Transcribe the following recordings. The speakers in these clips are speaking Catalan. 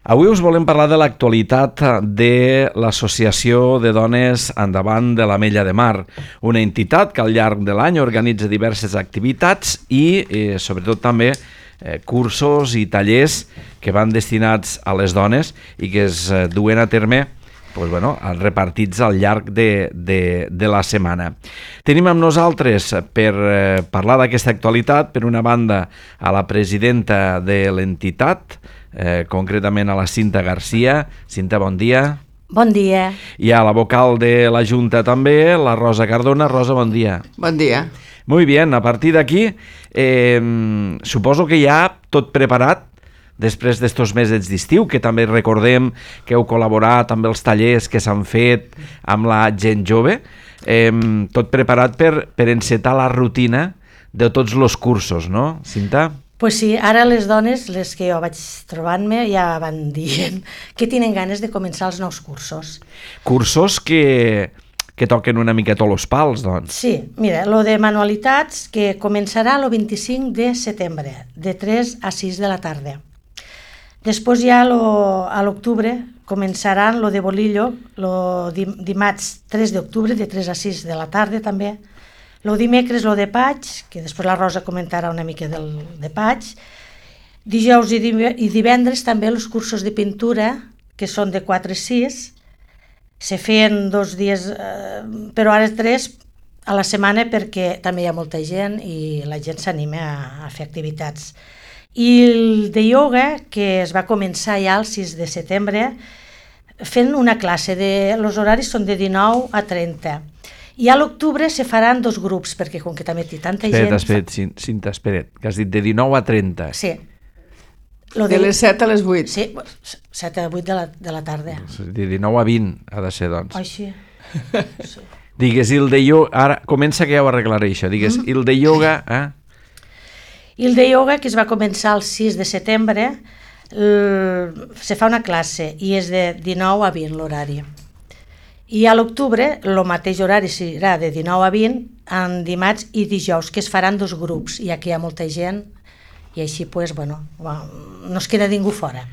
Avui us volem parlar de l'actualitat de l'Associació de Dones Endavant de l'Ametlla de Mar, una entitat que al llarg de l'any organitza diverses activitats i sobretot també cursos i tallers que van destinats a les dones i que es duen a terme repartits al llarg de la setmana. Tenim amb nosaltres per parlar d'aquesta actualitat, per una banda, a la presidenta de l'entitat, concretament a la Cinta Garcia. Cinta, bon dia. Bon dia. I a la vocal de la Junta també, la Rosa Cardona. Rosa, bon dia. Bon dia. Muy bien, a partir d'aquí suposo que ja tot preparat després d'estos mesos d'estiu, que també recordem que heu col·laborat amb els tallers que s'han fet amb la gent jove, tot preparat per encetar la rutina de tots els cursos, no, Cinta? Pues sí, ara les dones, les que jo vaig trobant-me, ja van dient que tenen ganes de començar els nous cursos. Cursos que toquen una miqueta els pals, doncs. Sí, mira, lo de manualitats que començarà el 25 de setembre, de 3 a 6 de la tarda. Després ja a l'octubre començaran lo de bolillo, lo dimarts 3 d'octubre, de 3 a 6 de la tarda també. Lo dimecres lo de paig, que després la Rosa comentarà una mica de paig. Dijous i divendres també els cursos de pintura, que són de 4 a 6. Se feien 2 dies, però ara 3 a la setmana perquè també hi ha molta gent i la gent s'anima a fer activitats. I el de ioga, que es va començar ja el 6 de setembre, fent una classe, els horaris són de 19 a 30. I a l'octubre se faran 2 grups, perquè com que també té tanta gent... Cinta, espera't, que has dit de 19 a 30. Sí. De les 7 a les 8. Sí, 7 a 8 de la tarda. De 19 a 20 ha de ser, doncs. Oh, sí. Sí. Digues, i el de ioga... Ara, comença que ja ho arreglaré, això. Digues, i el de ioga... I el de ioga, que es va començar el 6 de setembre, se fa una classe i és de 19 a 20 l'horari. I a l'octubre el mateix horari serà de 19 a 20 en dimarts i dijous, que es faran 2 grups, ja que hi ha molta gent i així no es queda ningú fora.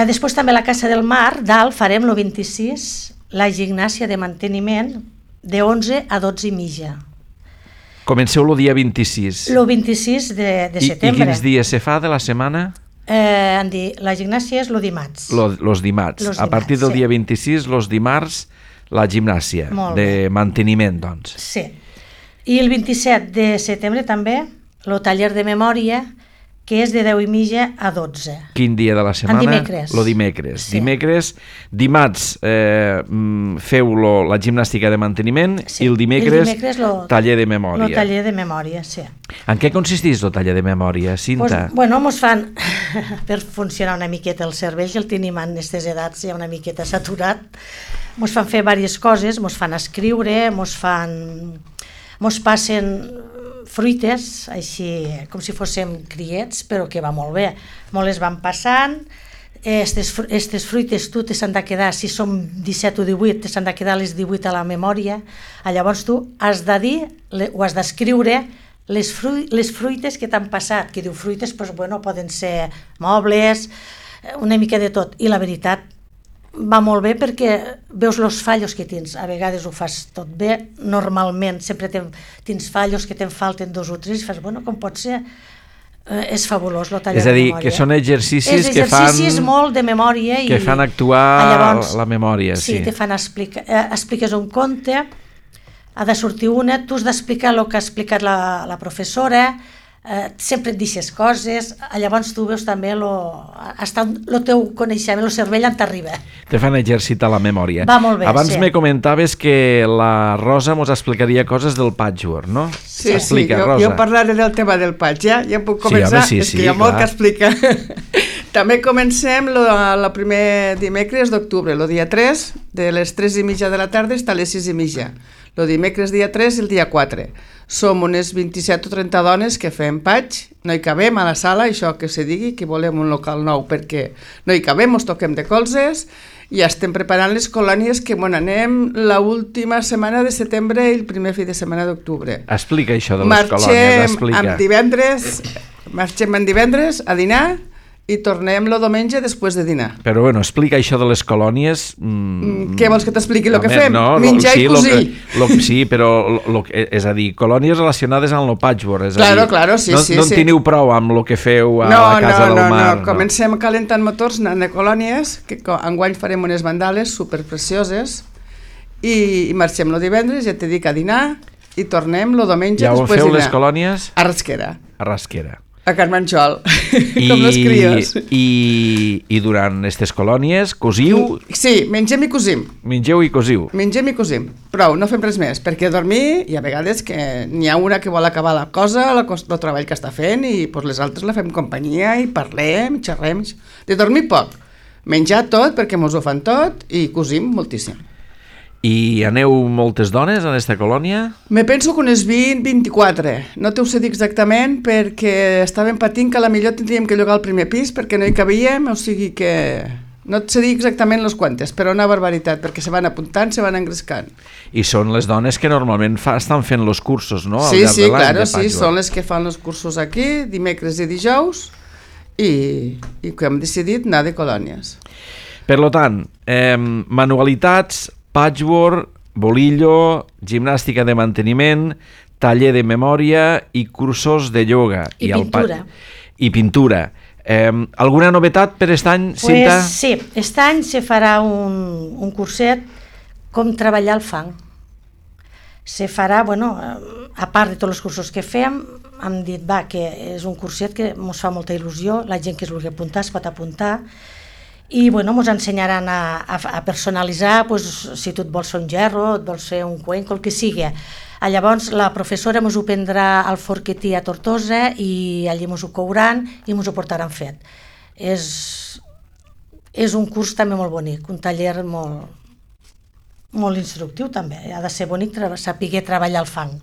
Després també a la Casa del Mar, dalt, farem el 26 la gimnàsia de manteniment de 11 a 12 i mitja. Comenceu el dia 26. El 26 de setembre. I quins dies se fa de la setmana? La gimnàsia és el dimarts. Los dimarts. A partir del dia 26, los dimarts, la gimnàsia de manteniment, doncs. Sí. I el 27 de setembre també, el taller de memòria, que és de 10 i mitja a 12. Quin dia de la setmana? Dimecres. Lo dimecres. Sí. Dimarts feu la gimnàstica de manteniment, sí. I el dimecres taller de memòria. El taller de memòria, sí. En què consisteix el taller de memòria, Cinta? Mos fan, per funcionar una miqueta el cervell, que el tenim en aquestes edats ja una miqueta saturat, mos fan fer diverses coses, mos fan escriure, mos passen fruites, així com si fóssim criets, però que va molt bé. Molt les van passant, aquestes fruites tu te s'han de quedar, si som 17 o 18, te s'han de quedar les 18 a la memòria, llavors tu has de dir, o has d'escriure les fruites que t'han passat, que diu fruites, poden ser mobles, una mica de tot, i la veritat va molt bé perquè veus els fallos que tens, a vegades ho fas tot bé, normalment sempre tens fallos que te'n falten 2 o 3 i fas, com pot ser, és fabulós el taller de memòria. És a dir, que són exercicis que fan... Exercicis molt de memòria que fan actuar la memòria, sí. Sí, te fan expliques un conte, ha de sortir una, tu has d'explicar el que ha explicat la professora, sempre et deixes coses, llavors tu veus també el teu coneixement, el cervell on t'arriba. Te fan exercitar la memòria. Va molt bé, abans sí. Me comentaves que la Rosa ens explicaria coses del patchwork, no? Sí, jo parlaré del tema del patch, ja puc començar? Sí, és que hi ha molt que explicar. També comencem el primer dimecres d'octubre, el dia 3, de les 3 i mitja de la tarda fins a les 6 i mitja. El dimecres dia 3 i el dia 4. Som unes 27 o 30 dones que fem patch, no hi cabem a la sala, això que se digui, que volem un local nou perquè no hi cabem, ens toquem de colzes i estem preparant les colònies que anem l'última setmana de setembre i el primer fi de setmana d'octubre. Explica això de les colònies, explica. Marxem en divendres a dinar i tornem el diumenge després de dinar. Però bueno, explica això de les colònies. Què vols que t'expliqui el que fem? No, menjar i cosir. Sí, però és a dir, colònies relacionades amb el patchwork. És claro, a dir, claro, sí, sí. No en teniu prou amb el que feu a la Casa del Mar. No, comencem calentant motors anant de colònies, que enguany farem unes mandales superprecioses i marxem el divendres, ja t'he dit, a dinar i tornem el diumenge després de dinar. Ja ho feu les colònies? A Rasquera. A Rasquera. A Can Manxol, com les crios. I durant aquestes colònies cosiu? Sí, mengem i cosim. Mengeu i cosiu. Mengem i cosim. Prou, no fem res més, perquè dormir, hi ha vegades que n'hi ha una que vol acabar la cosa, el treball que està fent, i pues, les altres la fem companyia i parlem, i xerrem. De dormir poc. Menjar tot, perquè mos ho fan tot, i cosim moltíssim. I aneu moltes dones en aquesta colònia? Me penso que unes 20-24. No t'ho sé dir exactament perquè estàvem patint que a la millor tindríem que llogar el primer pis perquè no hi cabíem, o sigui que no et sé dir exactament les quantes, però una barbaritat, perquè se van apuntant, se van engrescant. I són les dones que normalment estan fent els cursos, no? Sí, sí, claro, sí, són les que fan els cursos aquí, dimecres i dijous, i que hem decidit anar de colònies. Per tant, manualitats, patchwork, bolillo, gimnàstica de manteniment, taller de memòria i cursos de ioga. I pintura. I pintura. Alguna novetat per aquest any, Cinta? Pues sí, aquest any se farà un curset com treballar el fang. Se farà, bueno, a part de tots els cursos que fem, hem dit que és un curset que ens fa molta il·lusió, la gent que es vulgui apuntar es pot apuntar, i bueno, ens ensenyaran a personalitzar, pues, si tu et vols fer un gerro, et vols fer un cuenco, el que sigui. Llavors la professora ens ho prendrà al Forquetí a Tortosa i allí ens ho couran i ens ho portaran fet. És un curs també molt bonic, un taller molt instructiu també, ha de ser bonic saber treballar el fang.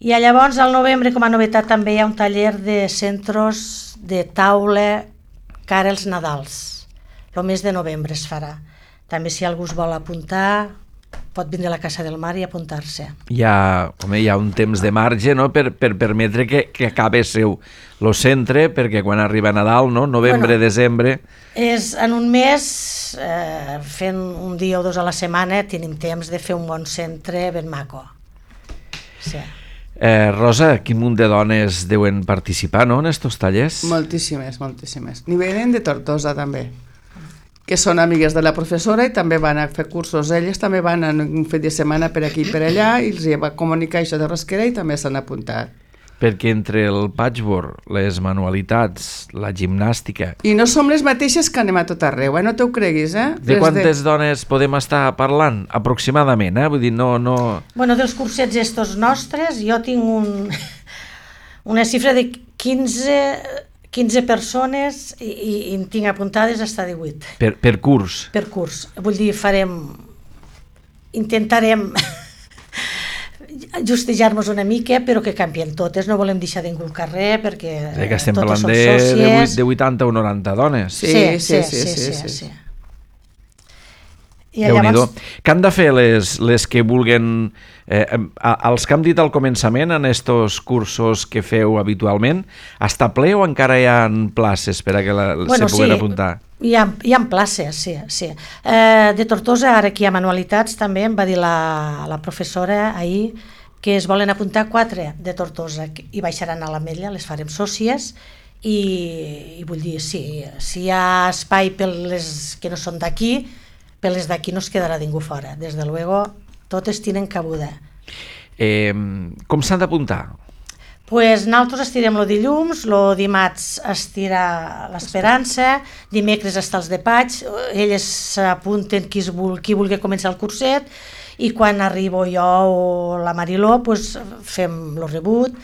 I llavors al novembre, com a novetat, també hi ha un taller de centres de taula cara als Nadals. El mes de novembre es farà. També si algú es vol apuntar, pot vindre a la Casa del Mar i apuntar-se. Hi ha un temps de marge, no?, per permetre que acabi el centre, perquè quan arriba Nadal, no?, novembre, desembre... És en un mes, fent un dia o dos a la setmana, tenim temps de fer un bon centre ben maco. Sí. Rosa, quin munt de dones deuen participar, no?, en estos tallers? Moltíssimes, moltíssimes. N'hi venen de Tortosa, també, que són amigues de la professora i també van a fer cursos. Elles també van un fet de setmana per aquí i per allà i els va comunicar això de Rasquera i també s'han apuntat. Perquè entre el patchwork, les manualitats, la gimnàstica... I no som les mateixes que anem a tot arreu, no t'ho creguis, De quantes dones podem estar parlant, aproximadament, Vull dir, no... Bueno, dels cursets estos nostres, jo tinc una xifra de 15 persones i en tinc apuntades fins a 18. Per curs? Per curs. Vull dir, intentarem justejar-nos una mica, però que canvien totes. No volem deixar ningú al carrer perquè que estem totes parlant són sòcies. de 80 o 90 dones. Sí. Déu-n'hi-do. Què han de fer les que vulguen... els que hem dit al començament, en estos cursos que feu habitualment, està ple o encara hi ha places per a que se puguen apuntar? Hi ha places, sí. De Tortosa, ara aquí hi ha manualitats també, em va dir la professora ahir que es volen apuntar 4 de Tortosa i baixaran a l'Ametlla, les farem sòcies i vull dir, si hi ha espai per les que no són d'aquí, per les d'aquí no es quedarà ningú fora. Des de luego, totes tenen cabuda. Com s'han d'apuntar? Pues nosaltres estirem el dilluns, el dimarts estira l'Esperança, dimecres està els de Paig, elles s'apunten qui vulgui començar el curset i quan arribo jo o la Mariló pues, fem el rebut,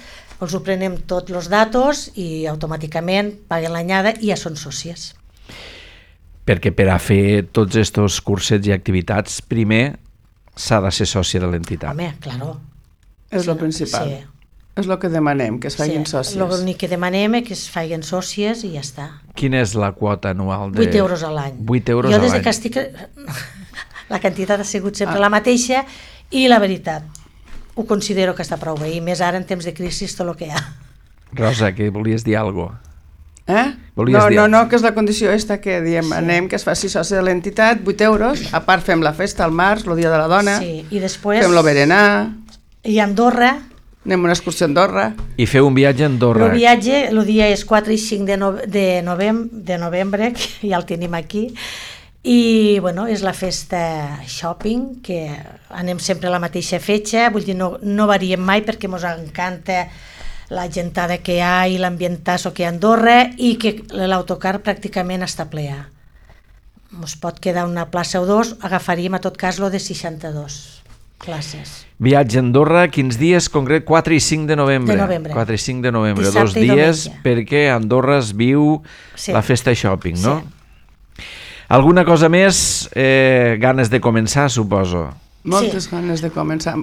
els ho prenem tots els datos i automàticament paguen l'anyada i ja són sòcies. Perquè per a fer tots aquests cursets i activitats, primer s'ha de ser sòcia de l'entitat. Home, claro. És el principal. Sí. És el que demanem, que es facin sòcies. L'únic que demanem és que es facin sòcies i ja està. Quina és la quota anual? 8 euros a l'any. 8 euros a l'any. Jo des que estic... La quantitat ha sigut sempre la mateixa i la veritat, ho considero que està prou bé. I més ara en temps de crisi tot el que hi ha. Rosa, que volies dir alguna cosa? Volies dir? No, que és la condició esta que diem, anem, que es faci soci de l'entitat, 8 euros, a part fem la festa al març, el dia de la dona, Sí, i després... fem lo berenar, I a Andorra, anem a una excursió a Andorra. I feu un viatge a Andorra. el viatge, el dia és 4 i 5 de novembre, que ja el tenim aquí, i bueno, és la festa shopping, que anem sempre a la mateixa fetge, vull dir, no variem mai perquè ens encanta la gentada que hi ha i l'ambientasso que hi ha a Andorra i que l'autocar pràcticament està plea. Ens pot quedar una plaça o dos, agafaríem a tot cas lo de 62 places. Viatge a Andorra, quins dies concret? 4 i 5 de novembre. De novembre. 4 i 5 de novembre, Dissabte 2 i dies diumenge. perquè a Andorra es viu Sí. la festa shopping, no? Sí. Alguna cosa més? Ganes de començar, suposo. Moltes ganes de començar.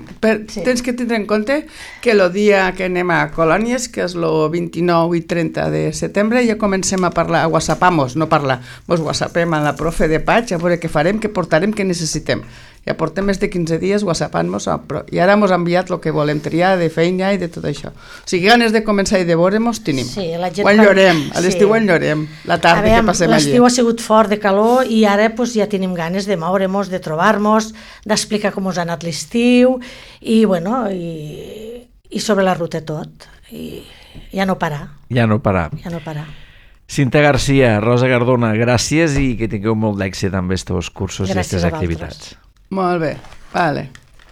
Sí. Tens que tindre en compte que el dia que anem a Colònies, que és el 29 i 30 de setembre, ja comencem a parlar, a whatsappamos, no parlar, mos whatsappem a la profe de Paig, a veure què farem, què portarem, què necessitem. Ja portem més de 15 dies whatsappant-nos i ara mos ha enviat el que volem triar de feina i de tot això. O sigui, ganes de començar i de veure-mos tenim. Sí, la gent ho enllorem, a l'estiu ho enllorem, la tarda que passem allí. L'estiu ha sigut fort de calor i ara pues, ja tenim ganes de moure-nos, de trobar-nos, d'explicar com us ha anat l'estiu i, bueno, i sobre la ruta tot. I ja no parar, Ja no parar. ja no parar. Cinta Garcia, Rosa Cardona, gràcies i que tingueu molt d'èxit amb aquests cursos i Gràcies aquestes a vosaltres. activitats. Molt bé, vale.